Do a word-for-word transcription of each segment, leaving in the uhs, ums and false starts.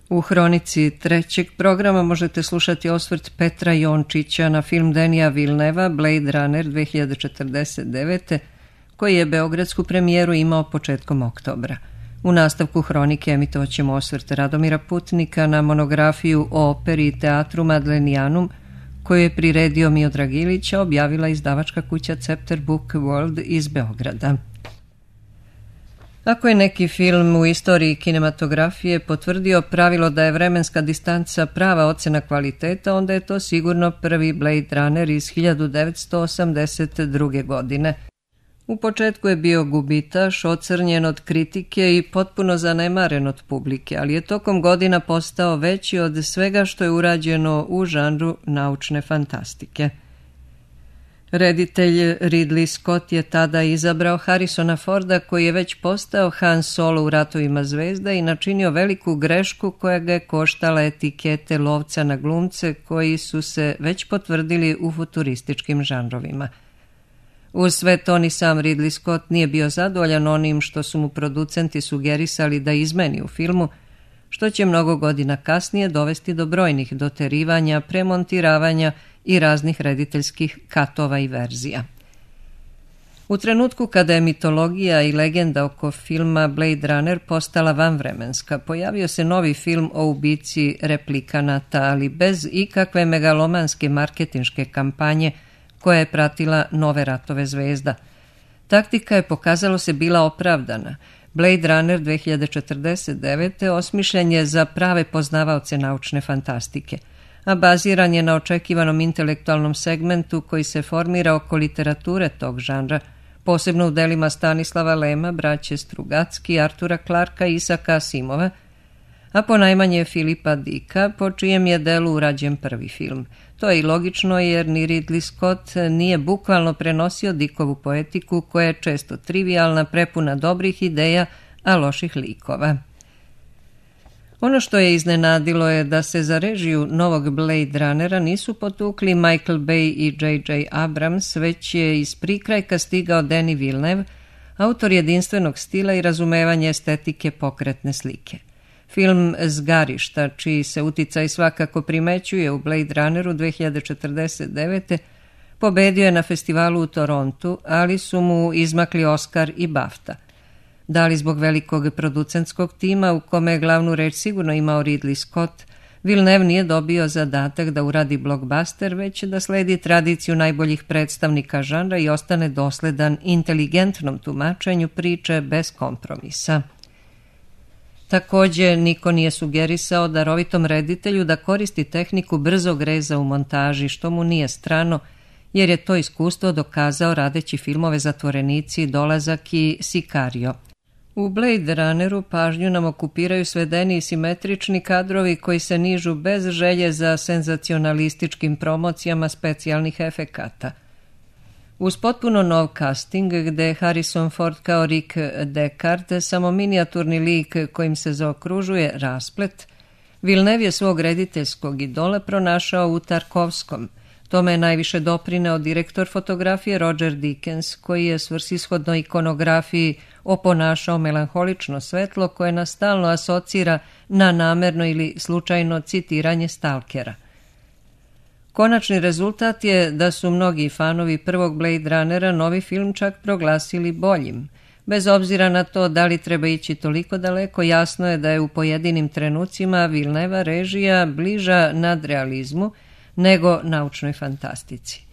U hronici trećeg programa možete slušati osvrt Petra Jončića na film Denija Vilneva Blade Runner dve hiljade četrdeset devete koji je beogradsku premijeru imao početkom oktobra. U nastavku hronike emitovat ćemo osvrt Radomira Putnika na monografiju o operi i teatru Madlenijanum koju je priredio Miodrag Ilić, a objavila izdavačka kuća Cepter Book World iz Beograda. Ako je neki film u istoriji kinematografije potvrdio pravilo da je vremenska distanca prava ocena kvaliteta, onda je to sigurno prvi Blade Runner iz hiljadu devetsto osamdeset druge. godine. U početku je bio gubitaš, ocrnjen od kritike i potpuno zanemaren od publike, ali je tokom godina postao veći od svega što je urađeno u žanru naučne fantastike. Reditelj Ridley Scott je tada izabrao Harrisona Forda, koji je već postao Han Solo u Ratovima zvezda i načinio veliku grešku koja ga je koštala etikete lovca na glumce koji su se već potvrdili u futurističkim žanrovima. Uz sve to ni sam Ridley Scott nije bio zadovoljan onim što su mu producenti sugerisali da izmeni u filmu, što će mnogo godina kasnije dovesti do brojnih doterivanja, premontiravanja i raznih rediteljskih katova i verzija. U trenutku kada je mitologija i legenda oko filma Blade Runner postala vanvremenska, pojavio se novi film o ubici replikanata, ali bez ikakve megalomanske marketinške kampanje koja je pratila nove Ratove zvezda. Taktika je, pokazalo se, bila opravdana. Blade Runner dve hiljade četrdeset devete. osmišljen je za prave poznavaoce naučne fantastike, a baziran je na očekivanom intelektualnom segmentu koji se formira oko literature tog žanra, posebno u delima Stanislava Lema, braće Strugacki, Artura Clarka i Isaka Asimova, a ponajmanje Filipa Dicka, po čijem je delu urađen prvi film. To je i logično jer ni Ridley Scott nije bukvalno prenosio Dickovu poetiku koja je često trivijalna, prepuna dobrih ideja, a loših likova. Ono što je iznenadilo je da se za režiju novog Blade Runnera nisu potukli Michael Bay i J J Abrams, već je iz prikrajka stigao Denis Villeneuve, autor jedinstvenog stila i razumevanja estetike pokretne slike. Film Zgarišta, čiji se uticaj svakako primećuje u Blade Runneru dve hiljade četrdeset devete. pobedio je na festivalu u Torontu, ali su mu izmakli Oscar i BAFTA. Da li zbog velikog producentskog tima u kome je glavnu reč sigurno imao Ridley Scott, Villeneuve nije dobio zadatak da uradi blockbuster, već da sledi tradiciju najboljih predstavnika žanra i ostane dosledan inteligentnom tumačenju priče bez kompromisa. Također, niko nije sugerisao darovitom reditelju da koristi tehniku brzog reza u montaži, što mu nije strano, jer je to iskustvo dokazao radeći filmove Zatvorenici, Dolazak i Sicario. U Blade Runneru pažnju nam okupiraju svedeni i simetrični kadrovi koji se nižu bez želje za senzacionalističkim promocijama specijalnih efekata. Uz potpuno nov casting, gde je Harrison Ford kao Rick Deckard samo minijaturni lik kojim se zaokružuje rasplet, Villeneuve je svog rediteljskog idola pronašao u Tarkovskom. Tome je najviše doprineo direktor fotografije Roger Deakins, koji je svrsishodno ikonografiji oponašao melanholično svetlo koje nas stalno asocira na namerno ili slučajno citiranje Stalkera. Konačni rezultat je da su mnogi fanovi prvog Blade Runnera novi film čak proglasili boljim. Bez obzira na to da li treba ići toliko daleko, jasno je da je u pojedinim trenucima Villeneuva režija bliža nadrealizmu nego naučnoj fantastici.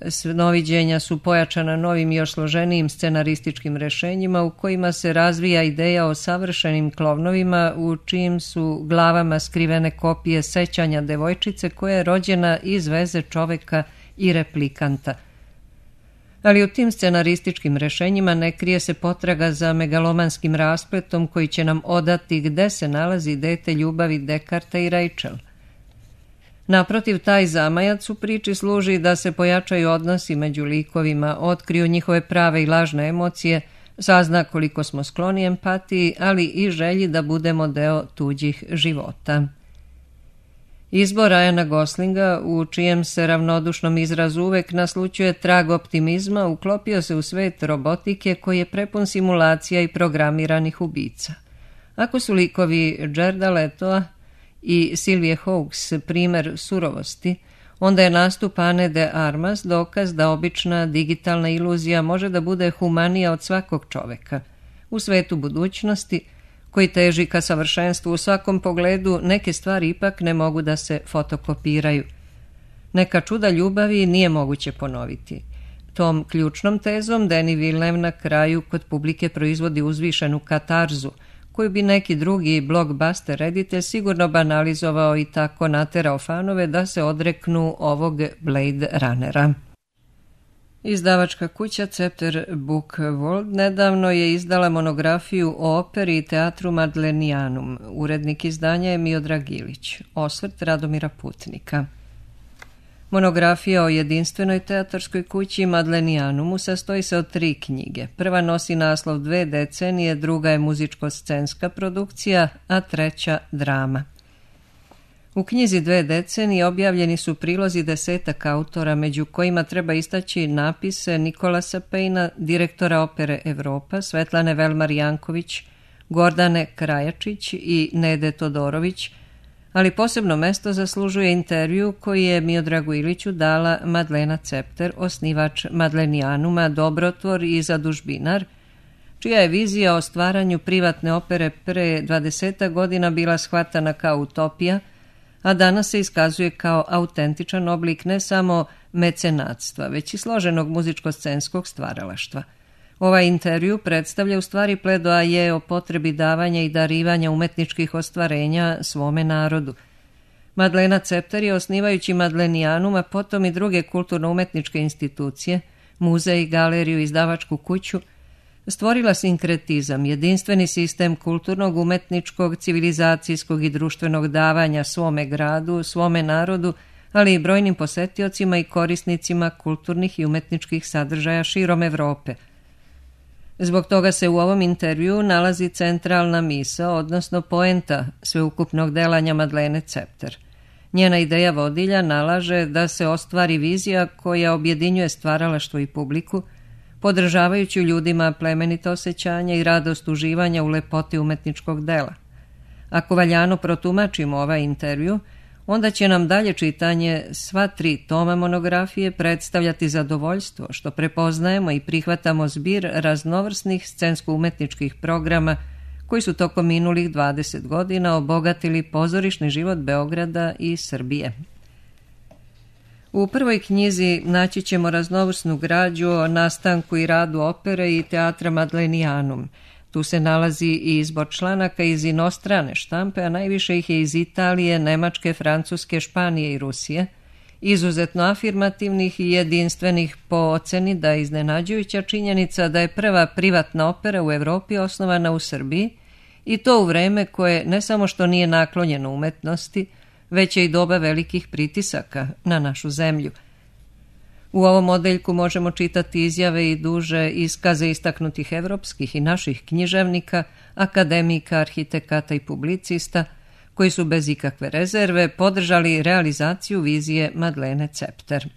Snoviđenja su pojačana novim i još složenijim scenarističkim rešenjima u kojima se razvija ideja o savršenim klovnovima u čijim su glavama skrivene kopije sećanja devojčice koja je rođena iz veze čoveka i replikanta. Ali u tim scenarističkim rešenjima ne krije se potraga za megalomanskim raspletom koji će nam odati gde se nalazi dete ljubavi Dekarta i Rachel. Naprotiv, taj zamajac u priči služi da se pojačaju odnosi među likovima, otkriju njihove prave i lažne emocije, sazna koliko smo skloni empatiji, ali i želji da budemo deo tuđih života. Izbor Ryana Goslinga, u čijem se ravnodušnom izrazu uvek naslućuje trag optimizma, uklopio se u svet robotike koji je prepun simulacija i programiranih ubica. Ako su likovi Jareda Letoa, i Silvije Hawkes primer surovosti, onda je nastup Ane de Armas dokaz da obična digitalna iluzija može da bude humanija od svakog čoveka. U svetu budućnosti, koji teži ka savršenstvu u svakom pogledu, neke stvari ipak ne mogu da se fotokopiraju. Neka čuda ljubavi nije moguće ponoviti. Tom ključnom tezom Denis Villeneuve na kraju kod publike proizvodi uzvišenu katarzu, koju bi neki drugi blockbuster reditelj sigurno banalizovao i tako naterao fanove da se odreknu ovog Blade Runnera. Izdavačka kuća Cepter Book World nedavno je izdala monografiju o operi i teatru Madlenianum. Urednik izdanja je Miodrag Ilić. Osvrt Radomira Putnika. Monografija o jedinstvenoj teatarskoj kući Madlenianumu sastoji se od tri knjige. Prva nosi naslov Dve decenije, druga je muzičko-scenska produkcija, a treća drama. U knjizi Dve decenije objavljeni su prilozi desetak autora, među kojima treba istaći napise Nikolasa Pejna, direktora opere Evropa, Svetlane Velmar-Janković, Gordane Krajačić i Nede Todorović, ali posebno mesto zaslužuje intervju koji je Miodragu Iliću dala Madlena Cepter, osnivač Madlenianuma, dobrotvor i zadužbinar, čija je vizija o stvaranju privatne opere pre dvadesetak godina bila shvatana kao utopija, a danas se iskazuje kao autentičan oblik ne samo mecenatstva, već i složenog muzičko-scenskog stvaralaštva. Ovaj intervju predstavlja u stvari pledoaje o potrebi davanja i darivanja umetničkih ostvarenja svome narodu. Madlena Cepter je, osnivajući Madlenianum, a potom i druge kulturno-umetničke institucije, muzej, galeriju, izdavačku kuću, stvorila sinkretizam, jedinstveni sistem kulturnog, umetničkog, civilizacijskog i društvenog davanja svome gradu, svome narodu, ali i brojnim posetiocima i korisnicima kulturnih i umetničkih sadržaja širom Evrope. Zbog toga se u ovom intervju nalazi centralna misao, odnosno poenta sveukupnog delanja Madlene Cepter. Njena ideja vodilja nalaže da se ostvari vizija koja objedinjuje stvaralaštvo i publiku, podržavajući ljudima plemenita osjećanja i radost uživanja u lepoti umetničkog dela. Ako valjano protumačimo ovaj intervju, onda će nam dalje čitanje sva tri toma monografije predstavljati zadovoljstvo što prepoznajemo i prihvatamo zbir raznovrsnih scensko-umetničkih programa koji su tokom minulih dvadeset godina obogatili pozorišni život Beograda i Srbije. U prvoj knjizi naći ćemo raznovrsnu građu o nastanku i radu opere i teatra Madlenianum. Tu se nalazi i izbor članaka iz inostrane štampe, a najviše ih je iz Italije, Nemačke, Francuske, Španije i Rusije, izuzetno afirmativnih i jedinstvenih po oceni da je iznenađujuća činjenica da je prva privatna opera u Evropi osnovana u Srbiji, i to u vreme koje ne samo što nije naklonjeno umetnosti, već je i doba velikih pritisaka na našu zemlju. U ovom odeljku možemo čitati izjave i duže iskaze istaknutih evropskih i naših književnika, akademika, arhitekata i publicista, koji su bez ikakve rezerve podržali realizaciju vizije Madlene Cepter.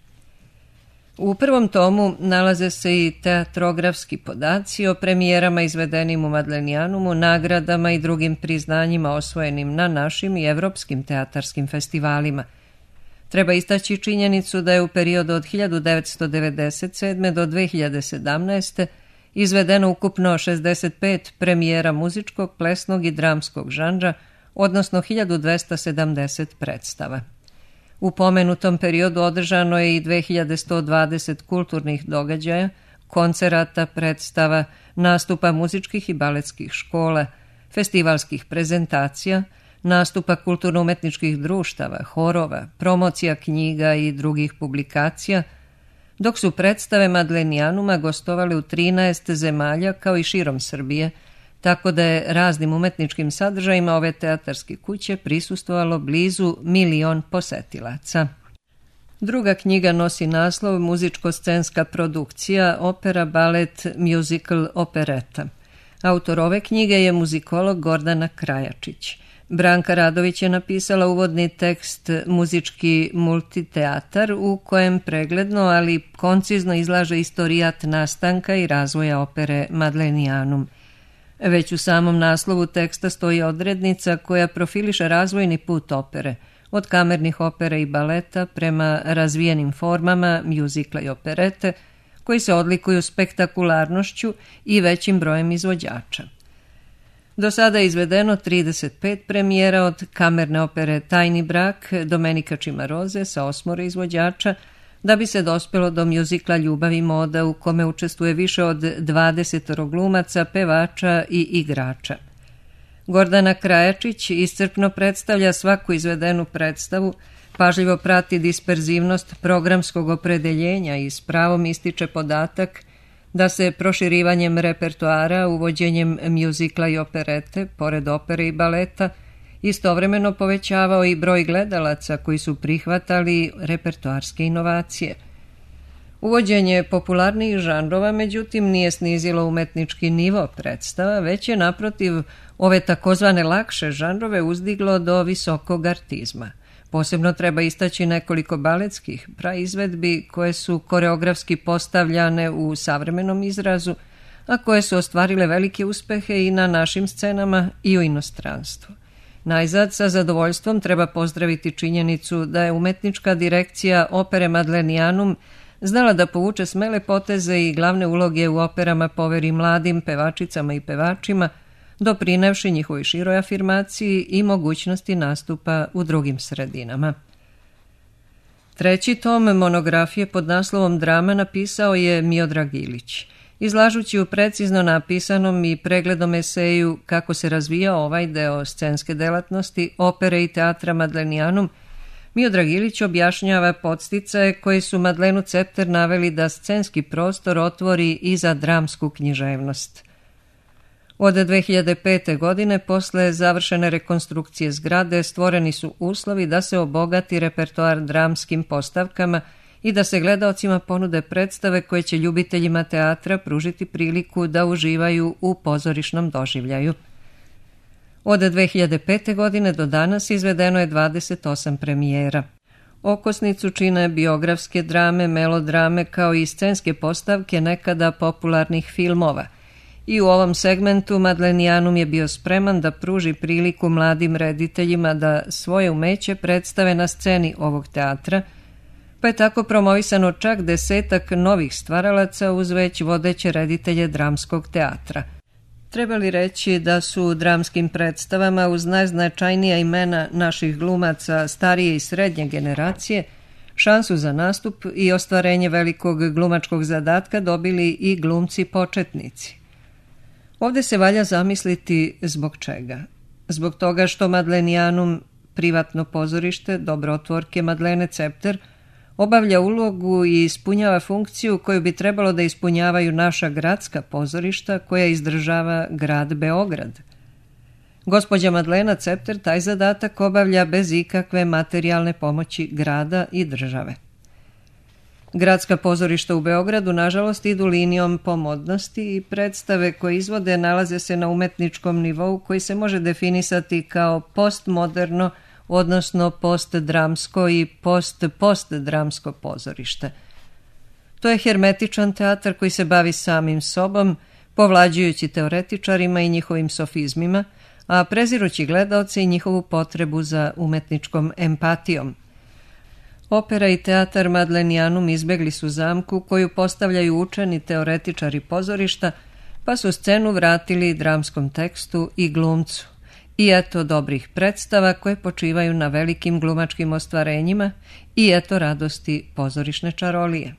U prvom tomu nalaze se i teatrografski podaci o premijerama izvedenim u Madlenianumu, nagradama i drugim priznanjima osvojenim na našim i evropskim teatarskim festivalima. Treba istaći činjenicu da je u periodu od hiljadu devetsto devedeset sedme. do dve hiljade sedamnaeste. izvedeno ukupno šezdeset pet premijera muzičkog, plesnog i dramskog žanra, odnosno hiljadu dvesta sedamdeset predstava. U pomenutom periodu održano je i dve hiljade sto dvadeset kulturnih događaja, koncerata, predstava, nastupa muzičkih i baletskih škola, festivalskih prezentacija, nastupa kulturno-umetničkih društava, horova, promocija knjiga i drugih publikacija, dok su predstave Madlenianuma gostovale u trinaest zemalja kao i širom Srbije, tako da je raznim umetničkim sadržajima ove teatarske kuće prisustvovalo blizu milion posetilaca. Druga knjiga nosi naslov Muzičko-scenska produkcija, opera, balet, musical, opereta. Autor ove knjige je muzikolog Gordana Krajačić. Branka Radović je napisala uvodni tekst Muzički multiteatar, u kojem pregledno, ali koncizno izlaže istorijat nastanka i razvoja opere Madlenianum. Već u samom naslovu teksta stoji odrednica koja profiliše razvojni put opere, od kamernih opera i baleta prema razvijenim formama mjuzikla i operete, koji se odlikuju spektakularnošću i većim brojem izvođača. Do sada je izvedeno trideset pet premijera, od kamerne opere Tajni brak Domenika Cimaroze sa osmoro izvođača, da bi se dospelo do mjuzikla Ljubav i moda u kome učestvuje više od dvadeset glumaca, pevača i igrača. Gordana Krajačić iscrpno predstavlja svaku izvedenu predstavu, pažljivo prati disperzivnost programskog opredeljenja i s pravom ističe podatak da se proširivanjem repertoara, uvođenjem mjuzikla i operete, pored opere i baleta, istovremeno povećavao i broj gledalaca koji su prihvatali repertoarske inovacije. Uvođenje popularnijih žanrova, međutim, nije snizilo umetnički nivo predstava, već je naprotiv ove takozvane lakše žanrove uzdiglo do visokog artizma. Posebno treba istaći nekoliko baletskih praizvedbi koje su koreografski postavljane u savremenom izrazu, a koje su ostvarile velike uspehe i na našim scenama i u inostranstvu. Najzad, sa zadovoljstvom treba pozdraviti činjenicu da je umetnička direkcija opere Madlenianum znala da povuče smele poteze i glavne uloge u operama poveri mladim pevačicama i pevačima, doprinevši njihovoj široj afirmaciji i mogućnosti nastupa u drugim sredinama. Treći tom monografije pod naslovom Drama napisao je Miodrag Ilić. Izlažući u precizno napisanom i pregledom eseju kako se razvijao ovaj deo scenske delatnosti opere i teatra Madlenianum, Miodrag Ilić objašnjava podsticaje koji su Madlenu Cepter naveli da scenski prostor otvori i za dramsku književnost. Od dve hiljade pete. godine, posle završene rekonstrukcije zgrade, stvoreni su uslovi da se obogati repertoar dramskim postavkama i da se gledaocima ponude predstave koje će ljubiteljima teatra pružiti priliku da uživaju u pozorišnom doživljaju. Od dve hiljade pete. godine do danas izvedeno je dvadeset osam premijera. Okosnicu čine biografske drame, melodrame kao i scenske postavke nekada popularnih filmova. I u ovom segmentu Madlenianum je bio spreman da pruži priliku mladim rediteljima da svoje umeće predstave na sceni ovog teatra, pa je tako promovisano čak desetak novih stvaralaca uz već vodeće reditelje dramskog teatra. Treba li reći da su u dramskim predstavama uz najznačajnija imena naših glumaca starije i srednje generacije šansu za nastup i ostvarenje velikog glumačkog zadatka dobili i glumci početnici. Ovde se valja zamisliti zbog čega. Zbog toga što Madlenianum, privatno pozorište dobrotvorke Madlene Cepter, obavlja ulogu i ispunjava funkciju koju bi trebalo da ispunjavaju naša gradska pozorišta koja izdržava grad Beograd. Gospođa Madlena Cepter taj zadatak obavlja bez ikakve materijalne pomoći grada i države. Gradska pozorišta u Beogradu, nažalost, idu linijom pomodnosti i predstave koje izvode nalaze se na umetničkom nivou koji se može definisati kao postmoderno, odnosno postdramsko i post-postdramsko pozorište. To je hermetičan teatar koji se bavi samim sobom, povlađujući teoretičarima i njihovim sofizmima, a prezirući gledaoce i njihovu potrebu za umetničkom empatijom. Opera i teatar Madlenianum izbegli su zamku koju postavljaju učeni teoretičari pozorišta, pa su scenu vratili dramskom tekstu i glumcu. I eto dobrih predstava koje počivaju na velikim glumačkim ostvarenjima i eto radosti pozorišne čarolije.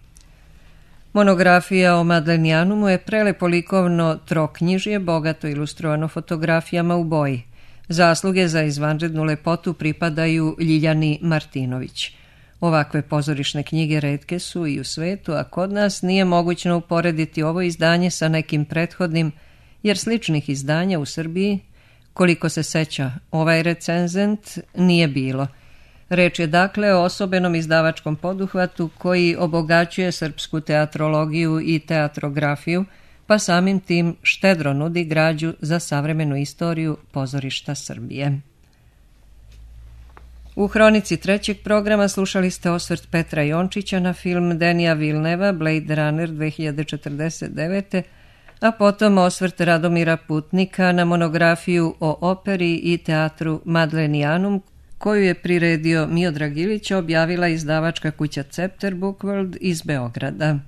Monografija o Madlenianumu je prelepo likovno troknjižje, bogato ilustrovano fotografijama u boji. Zasluge za izvanrednu lepotu pripadaju Ljiljani Martinović. Ovakve pozorišne knjige retke su i u svetu, a kod nas nije mogućno uporediti ovo izdanje sa nekim prethodnim, jer sličnih izdanja u Srbiji, koliko se seća ovaj recenzent, nije bilo. Reč je dakle o osobenom izdavačkom poduhvatu koji obogaćuje srpsku teatrologiju i teatrografiju, pa samim tim štedro nudi građu za savremenu istoriju pozorišta Srbije. U hronici trećeg programa slušali ste osvrt Petra Jončića na film Denija Vilneva Blade Runner dve hiljade četrdeset devete. a potom osvrt Radomira Putnika na monografiju o operi i teatru Madlenianum, koju je priredio Miodrag Ilić, objavila izdavačka kuća Cepter Bookworld iz Beograda.